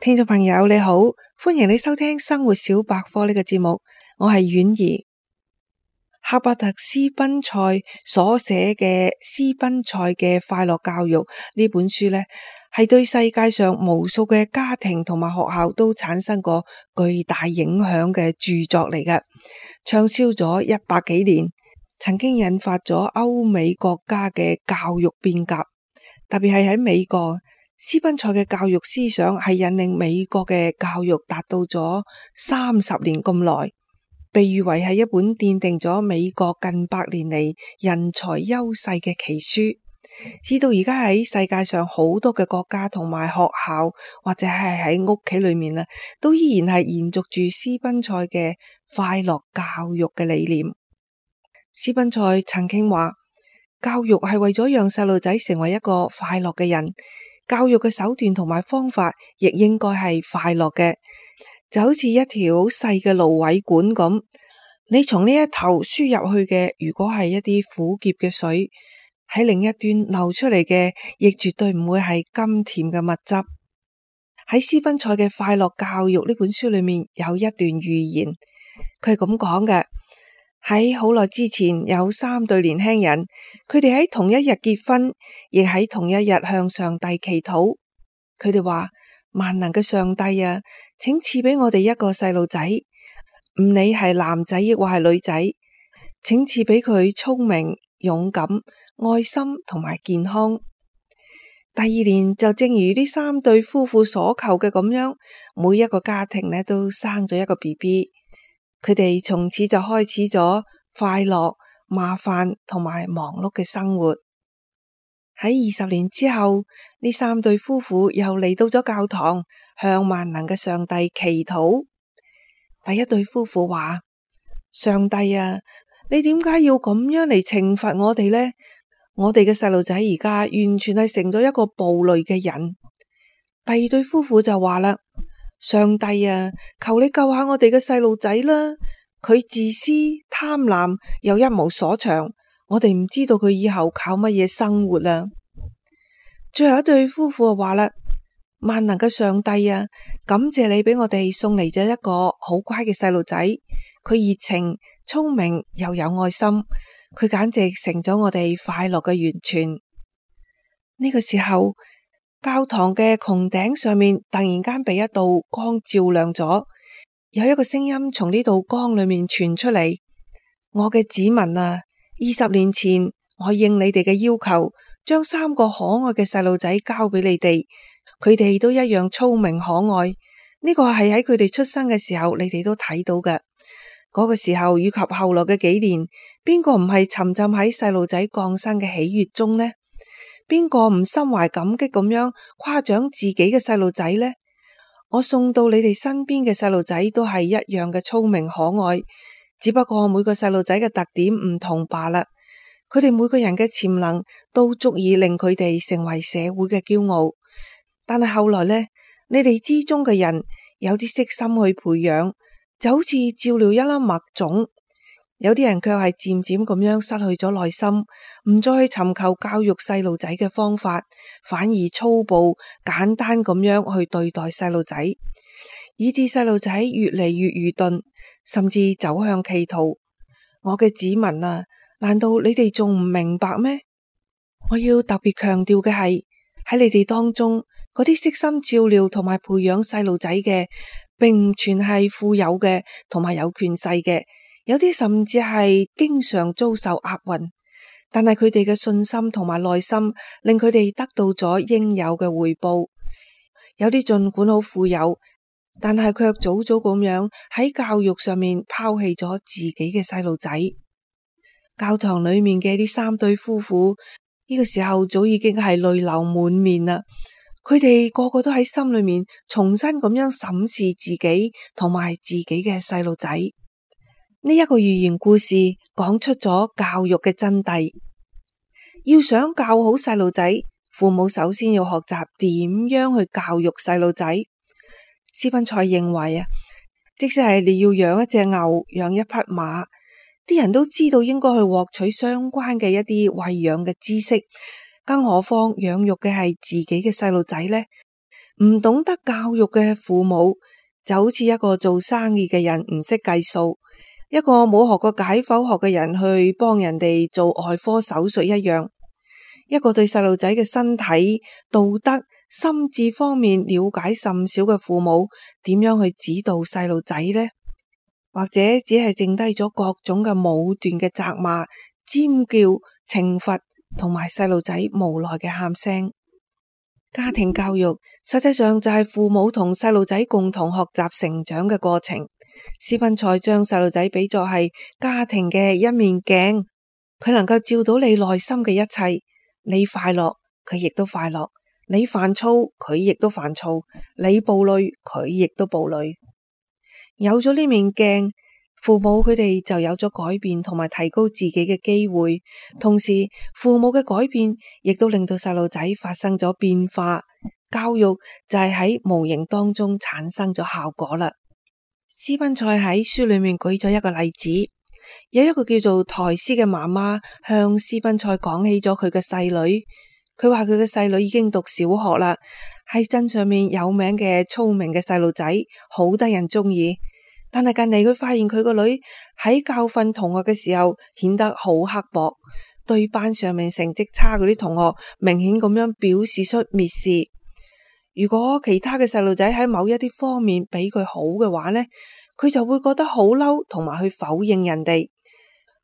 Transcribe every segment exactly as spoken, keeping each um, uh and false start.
聽眾朋友你好，歡迎你收聽生活小百科呢個節目，我係婉兒。赫伯特斯賓塞所寫嘅《斯賓塞嘅快樂教育》呢本書呢，係對世界上無數嘅家庭同埋學校都產生過巨大影響嘅著作嚟嘅，暢銷咗一百幾年，曾經引發咗歐美國家嘅教育變革，特別係喺美國。斯賓塞嘅教育思想係引領美國嘅教育達到咗三十年咁耐，被譽為係一本奠定咗美國近百年嚟人才優勢嘅奇書。至到而家喺世界上好多嘅國家同埋學校或者係喺屋企裏面啊，都依然係延續住斯賓塞嘅快樂教育嘅理念。斯賓塞曾經話，教育係為咗讓細路仔成為一個快樂嘅人。教育嘅手段同埋方法亦應該係快樂嘅，就好似一條好細嘅蘆葦管咁，你從呢一頭輸入去嘅，如果係一啲苦澀嘅水，喺另一端流出嚟嘅，亦絕對唔會係甘甜嘅蜜汁。喺斯賓塞嘅快樂教育呢本書裏面有一段寓言，佢係咁講嘅。喺好耐之前，有三對年輕人，佢哋喺同一日結婚，亦喺同一日向上帝祈禱。佢哋話：萬能嘅上帝啊，請賜俾我哋一個細路仔，唔理係男仔亦或係女仔，請賜俾佢聰明、勇敢、愛心同埋健康。第二年就正如呢三對夫婦所求嘅咁樣，每一個家庭呢都生咗一個 B B。佢哋從此就開始咗快樂、麻煩同埋忙碌嘅生活。喺二十年之後，呢三對夫婦又嚟到咗教堂，向萬能嘅上帝祈禱。第一對夫婦話：上帝啊，你點解要咁樣嚟懲罰我哋呢？我哋嘅細路仔而家完全係成咗一個暴戾嘅人。第二對夫婦就話啦：上帝啊，求你救下我哋嘅細路仔啦！佢自私、貪婪又一無所長，我哋唔知道佢以後靠乜嘢生活啊！最後一對夫婦就話啦：萬能嘅上帝啊，感謝你俾我哋送嚟咗一個好乖嘅細路仔，佢熱情、聰明又有愛心，佢簡直成咗我哋快樂嘅源泉。呢個時候，教堂嘅穹頂上面突然間被一道光照亮咗，有一個聲音從呢道光裏面傳出嚟：我嘅子民啊，二十年前我應你哋嘅要求，將三個可愛嘅細路仔交俾你哋，佢哋都一樣聰明可愛。呢個係喺佢哋出生嘅時候，你哋都睇到嘅。嗰個時候以及後來嘅幾年，邊個唔係沉浸喺細路仔降生嘅喜悅中呢？邊個唔心懷感激咁樣誇獎自己嘅細路仔呢？我送到你哋身邊嘅細路仔都係一樣嘅聰明可愛，只不過每個細路仔嘅特點唔同罷啦。佢哋每個人嘅潛能都足以令佢哋成為社會嘅驕傲。但係後來呢，你哋之中嘅人有啲悉心去培養，就好似照料一粒麥種。有啲人卻係漸漸咁樣失去咗耐心，唔再去尋求教育細路仔嘅方法，反而粗暴簡單咁樣去對待細路仔，以致細路仔越嚟越愚鈍，甚至走向歧途。我嘅子民啊，難道你哋仲唔明白咩？我要特別強調嘅係，喺你哋當中嗰啲悉心照料同埋培養細路仔嘅，並唔全係富有嘅同埋有權勢嘅。有啲甚至係經常遭受厄運，但係佢哋嘅信心同埋耐心令佢哋得到咗應有嘅回報。有啲盡管好富有，但係卻早早咁樣喺教育上面拋棄咗自己嘅細路仔。教堂裏面嘅呢三對夫婦呢個時候早已經係淚流滿面啦，佢哋個個都喺心裏面重新咁樣審視自己同埋自己嘅細路仔。呢一個寓言故事講出咗教育嘅真諦。要想教好細路仔，父母首先要學習點樣去教育細路仔。斯賓塞認為啊，即使係你要養一隻牛、養一匹馬，啲人都知道應該去獲取相關嘅一啲餵養嘅知識，更何況養育嘅係自己嘅細路仔呢？唔懂得教育嘅父母就好似一個做生意嘅人唔識計數，一個冇學過解剖學嘅人去幫人哋做外科手術一樣。一個對細路仔嘅身體、道德、心智方面了解甚少嘅父母，點樣去指導細路仔呢？或者只係剩低咗各種嘅武斷嘅責罵、尖叫、懲罰，同埋細路仔無奈嘅喊聲。家庭教育實際上就係父母同細路仔共同學習成長嘅過程。斯賓塞將細路仔比作係家庭嘅一面鏡，佢能夠照到你內心嘅一切。你快樂，佢亦都快樂；你煩躁，佢亦都煩躁；你暴戾，佢亦都暴戾。有咗呢面鏡，父母佢哋就有咗改變同埋提高自己嘅機會。同時，父母嘅改變亦都令到細路仔發生咗變化。教育就係喺無形當中產生咗效果啦。斯賓塞喺書裏面舉咗一個例子。有一個叫做台斯嘅媽媽向斯賓塞講起咗佢嘅細女，佢話佢嘅細女已經讀小學啦，係鎮上面有名嘅聰明嘅細路仔，好得人中意。但係近嚟佢發現佢個女喺教訓同學嘅時候顯得好刻薄，對班上面成績差嗰啲同學明顯咁樣表示出蔑視。如果其他嘅細路仔喺某一啲方面比佢好嘅話呢，佢就會覺得好嬲，同埋去否認人哋。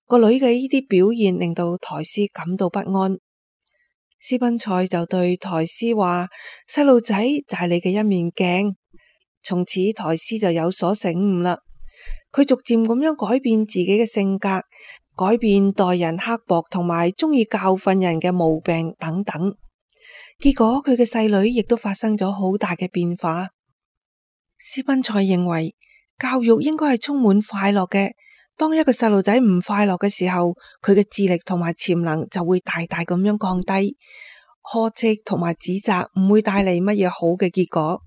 個女嘅呢啲表現令到台斯感到不安。斯賓塞就對台斯話：細路仔就係你嘅一面鏡。從此台斯就有所醒悟啦，佢逐漸咁樣改變自己嘅性格，改變待人刻薄同埋中意教訓人嘅毛病等等。結果佢嘅細女亦都發生咗好大嘅變化。斯賓塞認為教育應該係充滿快樂嘅。當一個細路仔唔快樂嘅時候，佢嘅智力同埋潛能就會大大咁樣降低。呵斥同埋指責唔會帶嚟乜嘢好嘅結果。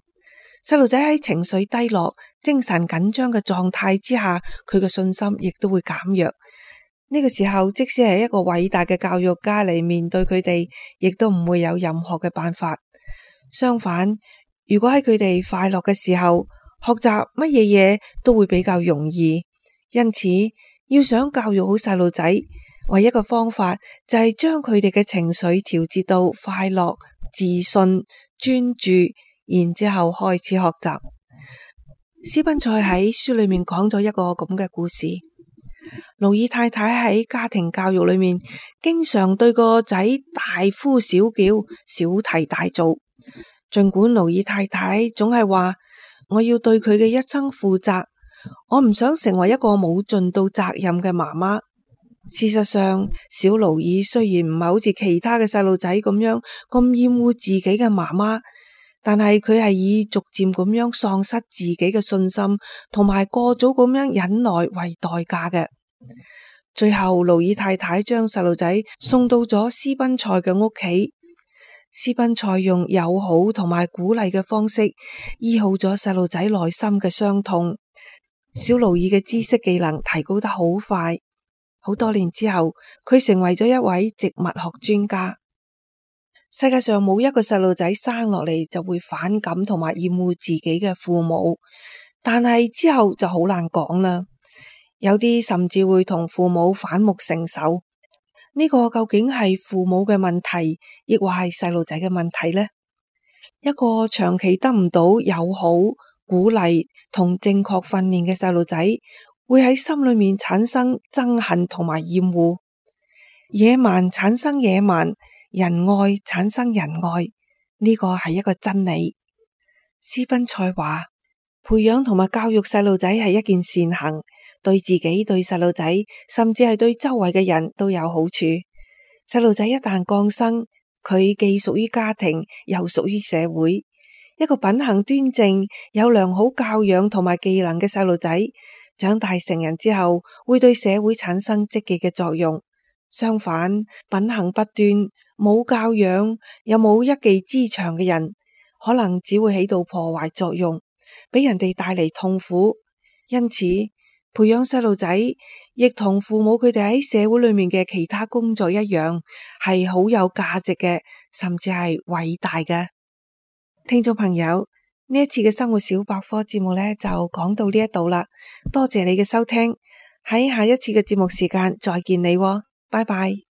細路仔喺情緒低落、精神緊張嘅狀態之下，佢嘅信心亦都會減弱。呢個時候，即使係一個偉大嘅教育家嚟面對佢哋，亦都唔會有任何嘅辦法。相反，如果喺佢哋快樂嘅時候，學習乜嘢嘢都會比較容易。因此，要想教育好細路仔，唯一嘅方法就係將佢哋嘅情緒調節到快樂、自信、專注，然之後開始學習。斯賓塞喺書裏面講咗一個咁嘅故事。勞爾太太喺家庭教育裏面，經常對個仔大呼小叫、小題大做。盡管勞爾太太總係話：我要對佢嘅一生負責。我唔想成為一個冇盡到責任嘅媽媽。事實上，小勞爾雖然唔係好似其他嘅細路仔咁樣咁厭惡自己嘅媽媽，但係佢係以逐漸咁樣喪失自己嘅信心，同埋過早咁樣忍耐為代價嘅。最後，勞爾太太將細路仔送到咗斯賓塞嘅屋企。斯賓塞用友好同埋鼓勵嘅方式醫好咗細路仔內心嘅傷痛。小勞爾嘅知識技能提高得好快，好多年之後，佢成為咗一位植物學專家。世界上冇一個細路仔生落嚟就會反感同埋厭惡自己嘅父母，但係之後就好難講啦。有啲甚至會同父母反目成仇。呢個究竟係父母嘅問題，亦或係細路仔嘅問題呢？一個長期得唔到友好、鼓勵同正確訓練嘅細路仔，會喺心裏面產生憎恨同埋厭惡。野蠻產生野蠻，仁愛產生仁愛，呢個係一個真理。斯賓塞話，培養同埋教育細路仔係一件善行，對自己、對細路仔，甚至係對周圍嘅人都有好處。細路仔一旦降生，佢既屬於家庭，又屬於社會。一個品行端正、有良好教養同埋技能嘅細路仔，長大成人之後，會對社會產生積極嘅作用。相反，品行不端、冇教養又冇一技之長嘅人，可能只會起到破壞作用，俾人哋帶嚟痛苦。因此，培養細路仔亦同父母佢哋喺社會裏面嘅其他工作一樣，係好有價值嘅，甚至係偉大嘅。聽眾朋友，呢一次嘅生活小百科節目呢，就講到呢一度啦，多謝你嘅收聽，喺下一次嘅節目時間再見你喎，拜拜。